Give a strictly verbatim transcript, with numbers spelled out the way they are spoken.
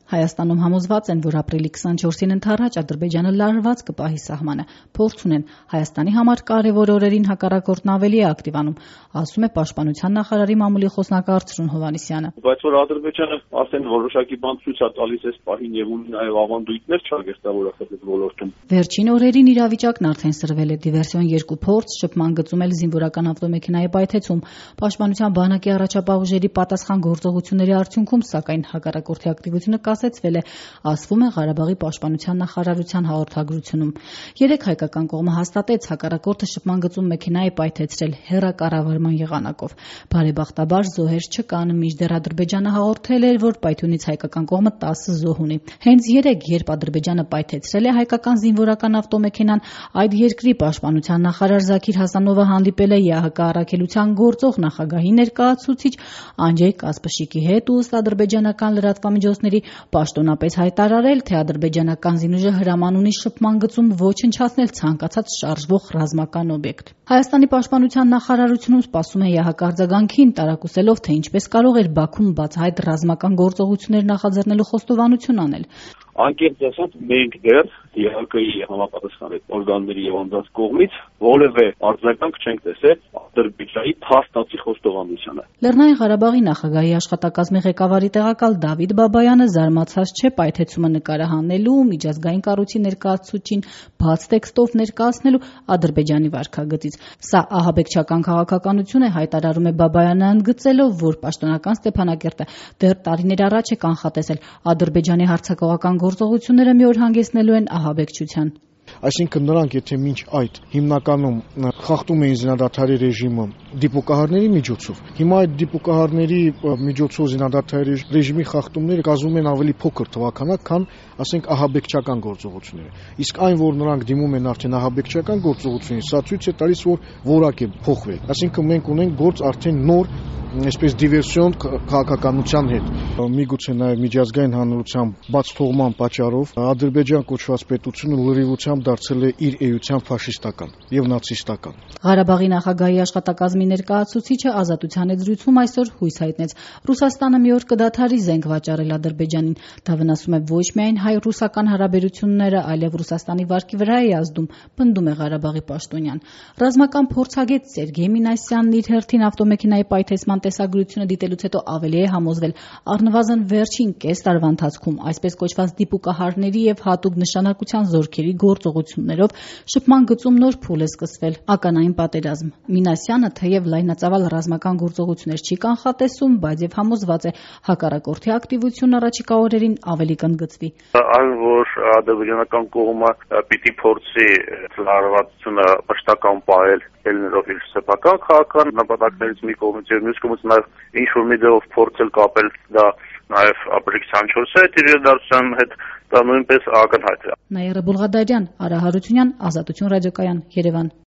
Հայաստանում համոզված են, որ ապրիլի քսանչորսին ընդառաջ Ադրբեջանը լարված կպահի սահմանը, փորձ ունեն Հայաստանի համար կարևոր օրերին հակառակորդն ավելի է ակտիվանում, ասում է Պաշտպանության նախարարի մամուլի խոսնակ Արծրուն Հովհաննիսյանը։ Բայց որ Ադրբեջանը ասեն որոշակի բան ցույց է տալիս այս պահին եւ ունի նաեւ ավանդույթներ չարգեստավորած այդ ոլորտում։ Վերջին օրերին իրավիճակն արդեն սրվել է դիվերսիոն երկու փորձ, շփման գծում էլ զինվորական ավտոմեքենայի պայթեցում։ Պաշտպանության բանակի առաջապահ ուժերի պատասխան գործողությունների արդյունքում, սակայն հակառակորդի ակտիվությունը կասեցվել է, ասվում է Ղարաբաղի պաշտպանության նախարարության հաղորդագրությունում։ Երեք հայկական կողմը հաստատեց հակառակորդը շփման գծում մեքենա է պայթեցրել հեռակառավարման եղանակով։ Բարեբախտաբար զոհեր չկան, մինչդեռ Ադրբեջանը հաղորդել էր, որ պայթյունից հայկական կողմը տասը զոհ ունի։ Հենց երեկ, երբ Ադրբեջանը պայթեցրել է հայկական զինվորական ավտոմեքենան, այդ երկրի պաշտպանության նախարար Զաքիր Հասանովը հանդիպել է ԵԱՀԿ առաքելության գործող նախագահի ներկայացուցիչ Անջեյ Կասպշիկի հետ ու ըստ ադրբեջանական լրատվամիջոցների պաշտոնապես հայտարարել, թե ադրբեջանական զինուժը հրաման ունի շփման գծում ոչնչացնել ցանկացած շարժվող ռազմական օբյեկտ։ Հայաստանի պաշտպանության նախարարությունում սպասում է ԵԱՀԿ արձագանքին, տարակուսելով, թե ինչպես կարող էր Բաքուն բացահայտ ռազմական գործողություններ նախաձեռնելու խոստովանություն անել։ Անկեղծ ասած, մենք դեռ ԵԱՀԿ-ի համապատասխան օրգանների եւ անձանց կողմից որևէ արձագանք չենք տեսել Ադրբեջանի փաստացի խոստովանությանը։ Լեռնային Ղարաբաղի նախագահի աշխատակազմի ղեկավարի տեղակալ Դավիթ Բաբայանը զարմացած չէ պայթեցումը նկարահանելու, միջազգային կառույցի ներկայացուցչին բաց տեքստով ներկայացնելու Ադրբեջանի վարքագծից։ Սա ահաբեկչական քաղաքականություն է, հայտարարում է Բաբայանը, ընդգծելով, որ պաշտոնական Ստեփանակերտը դեռ տարիներ առաջ է կանխատեսել Ադրբեջանի հարձակողական գործողությունները մի օր հանգեցնելու են ահաբեկչության։ Այսինքն նրանք, եթե մինչ այդ հիմնականում խախտում էին զինադադարի ռեժիմը դիպուկահարների միջոցով, հիմա այդ դիպուկահարների միջոցով զինադադարի ռեժիմի խախտումները կազմում են ավելի փոքր թվականակ, քան ասենք ահաբեկչական գործողությունները։ Իսկ այն, որ նրանք դիմում են արդեն ահաբեկչական գործողությունների, սա ցույց է տալիս, որ որակ է փոխվել։ Այսինքն մենք ունենք գործ արդեն նոր այսպես դիվերսիոն քաղաքականության հետ։ Միգուցե նաև միջազգային հանրության բաց թողման պատճառով Ադրբեջան կոչված պետությունը լրիվությամբ դարձել է իր էության ֆաշիստական եւ նացիստական։ Ղարաբաղի նախագահի աշխատակազմի ներկայացուցիչը Ազատության հետ զրույցում այսօր հույս հայտնեց Ռուսաստանը մի օր կդադարի զենք վաճառել Ադրբեջանին։ Դա վնասում է ոչ միայն հայ-ռուսական հարաբերությունները, այլև Ռուսաստանի վարկի վրա է ազդում, պնդում է Ղարաբաղի պաշտոնյան։ Ռազմական փորձագետ Սերգեյ Մինասյանն իր հերթին ավտոմեքենայի պայթեցման տեսագրությունը դիտելուց հետո ավելի է համոզվել առնվազն վերջին կես տարվա ընթացքում այսպես կոչված դիպուկահարների եւ հատուկ նշանակության զորքերի գործողություններով շփման գծում նոր փուլ է սկսվել՝ ականային պատերազմ։ Մինասյանը թեև լայնածավալ ռազմական գործողություններ չի կանխատեսում, բայց եւ համոզված է հակառակորդի ակտիվությունն առաջիկա օրերին ավելի կընդգծվի։ Այն, որ ադրբեջանական կողմը պիտի փորձի լարվածությունը մշտական պահել ելներով իր սեփական քաղաքական նպատակներից մի կողմից եւ մյուս կողմից նաեւ ինչ որ մի ձեւով փորձել կապել դա նաեւ ապրիլի քսանչորսի հետ իր դարձության հետ դա նույնպես ակնհայտ է։ Նաիրա Բուլղադարյան, Արա Հարությունյան, Ազատություն ռադիոկայան, Երևան։